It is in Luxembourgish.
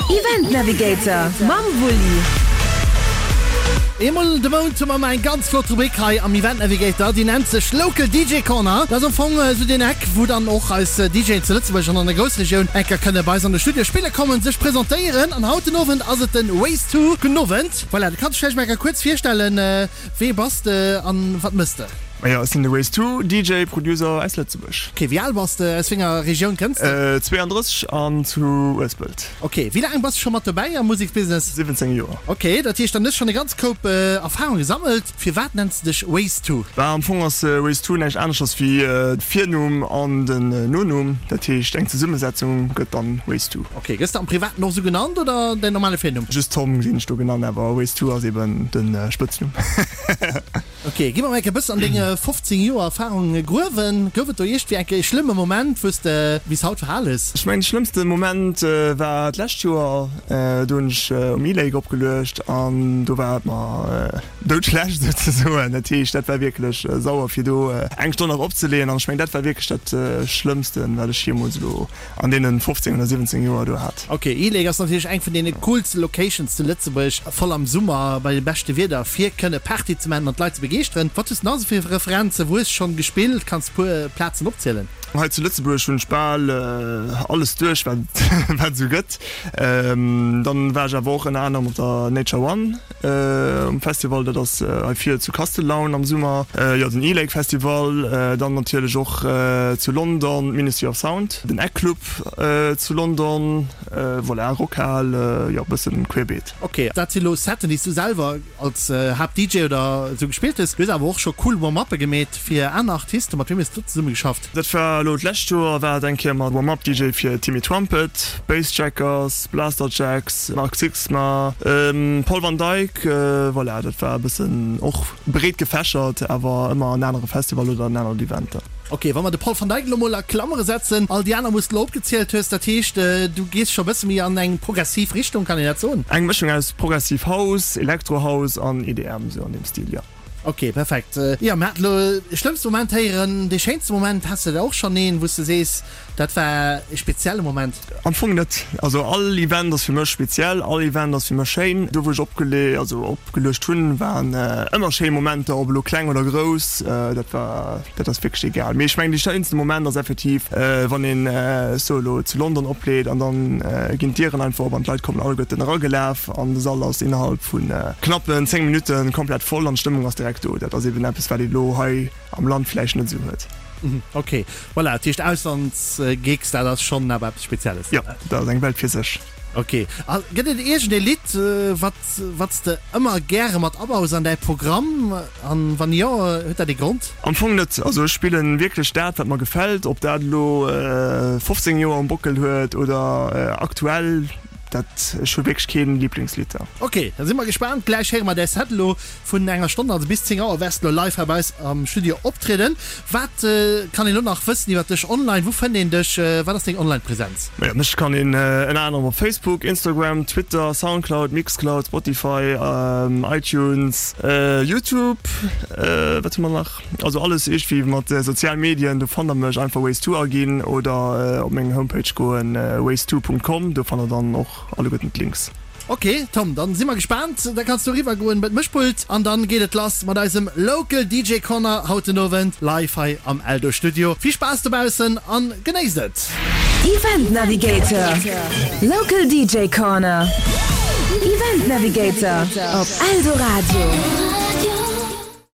Event Navigator mam Wulli. Eemol de Mount hu mer ëmmer eng ganz flott Rubrik hei am Event Navigator, déi nennt sech Local DJ Corner. Dat ass am Fong esou deen Eck, wou dann och eis DJen zu Lëtzebuerg an an der Groussregioun eng Kéier kënne bei eis an de Studio spille kommen, sech presentéieren. An haut den Owend ass et den Ways To. Gudden Owend. Voilà, du kanns dech vläicht mol eng Kéier kuerz virstellen. Wee bass de an wat mëss de? Majo, ech sinn de Ways To, DJ, Producer aus Lëtzebuerg. Ok, wéi al bass de? Aus wénger Regioun kënns de? 32 an zu Uespelt. Ok, wéi laang bass de scho mat dobäi am Museksbusiness? 17 Joer. Ok, dat heescht dann hues schonn e ganz Koup Erfahrung gesammelt. Firwat nenns de dech Ways To? Bah, am Fong ass Ways To näischt aneschters wéi de Virnumm an den Nonumm. Dat heescht eng Zesummesetzung gëtt dann Ways To. Ok, gëss de am Privaten och esou genannt oder däin normale Virnumm? Just Tom ginn ech do genannt, awer Ways To ass eben de Spëtznumm. Ok, gi mer mol enke bëssen an deng 15 Joer Erfahrung gruewen. Gouf et do iergendwéi enke ee schlëmme Moment, wou s de bis haut verhal hues? Ech mengen de schlëmmste Moment war d'lescht Joer, do hunn ech um E-Lake opgeluecht an do war et mer doudschlecht souzesoen. Dat heescht dat war wierklech sauer fir do eng Stonn nach opzeleeën an ech mengen dat war wierklech dat schlëmmsten wat ech jeemools elo an deenen 15 oder 17 Joer do hat. Ok, E-Lake ass natierlech eng vun deene coolste Locations zu Lëtzebuerg, voll am Summer bei dem beschte Wieder fir kënne Party ze maachen an d'Leit ze begeeschteren. Wat hues de nach esou fir Referenzen? Wou hues de schonn gespillt? Kanns de puer Plazen opzielen? Hei zu Lëtzebuerg hunn ech bal alles duerch wat et esou gëtt. Dann war ech awer och ënner anerem op der Nature One um Festival, dat ass hei vir zu Kastellaun am Summer, jo den E-Lake Festival, dann natierlech och zu London d'Ministry of Sound, den Egg Club zu London, voilà, Rockhal, jo bëssen querbeet. Ok, dat si lo Setten déi s du selwer als Haapt-DJ oder esou gespillt hues. Du hues awer och scho cool Warm-Uppe gemeet fir aner Artisten. Mat wiem hues du zesumme geschafft? Dat war elo d'lescht Joer war et eng Kéier mat Warm-Up DJ fir Timmy Trumpet, Bassjackers, Blasterjaxx, Mark Sixma, Paul van Dyk, voilà, dat war e bëssen och breet gefächert, awer ëmmer en anere Festival oder en anert Event dann. Ok, wa mer de Paul van Dyk elo mol a Klammere setzen, all déi aner wou s de elo opgezielt hues, dat heescht du gees scho e bësse méi an eng progressiv Richtung, kann een dat soen? Eng Mëschung aus progressiv House, Electro House an EDM, sou an deem Stil, jo. Ok, perfekt. Jo, mir haten elo e schlëmmste Moment héieren. Dee schéinste Moment, has de der och schonn een, wou s de sees, dat war e spezielle Moment? Am Fong net. Also all Event ass fir mech speziell, all Event ass fir mech schéin. Do wou ech opgele also opgeluecht hunn, waren ëmmer schéi Momenter, ob elo kleng oder grouss, dat war, dat ass wierklech egal. Mee ech mengen dee schéinste Moment ass effektiv, wann een, ech soe elo, zu London opleet an dann ginn d'Dieren einfach op an d'Leit kommen alleguerten eragelaf an de Sall ass innerhalb vu knappen 10 Minutten komplett voll an d'Stëmmung ass direkt do. Dat ass eben eppes wat een elo hei am Land vläicht net esou huet. Ok, voilà, dat heescht Auslandsgigs, dat ass schonn awer eppes Spezielles? Jo, dat ass eng Welt fir sech. Ok, a gëtt et iergend ee Lidd, wat wat s de ëmmer gäre mat abaus an däi Programm? An wann jo, huet dat ee Grond? Am Fong net. Also ech spillen wierklech dat wat mer gefält, ob dat elo 15 Joer um Bockel huet oder aktuell. Dat, ech hu wierklech keen Lieblingslidd da. Ok, da si mer gespaant. Gläich héiere mer däi Set elo vun enger Stonn, also bis 10 Auer wäers de elo live hei bei eis am Studio optrieden. Wat kann een elo nach wëssen iwwer dech online? Wou fënnt een dech? Wat ass deng Online-Präsenz? Majo, mech kann een ënner anerem op Facebook, Instagram, Twitter, Soundcloud, Mixcloud, Spotify, iTunes, YouTube, wat hu mer nach? Also alles iergendwéi mat sozial Medien, do fannt der mech, einfach Ways2 aginn oder op meng Homepage goen, ways2.com, do fannt der dann och alleguerten d'Links. Ok Tom, dann si mer gespaant, da kanns du eriwwer goen bei d'Mëschpult an dann geet et lass mat eisem Local DJ Corner haut den Owend live hei am Eldo Studio. Vill Spaass dobaussen an genéisst et! Event Navigator, Local DJ Corner, Event Navigator op Eldoradio.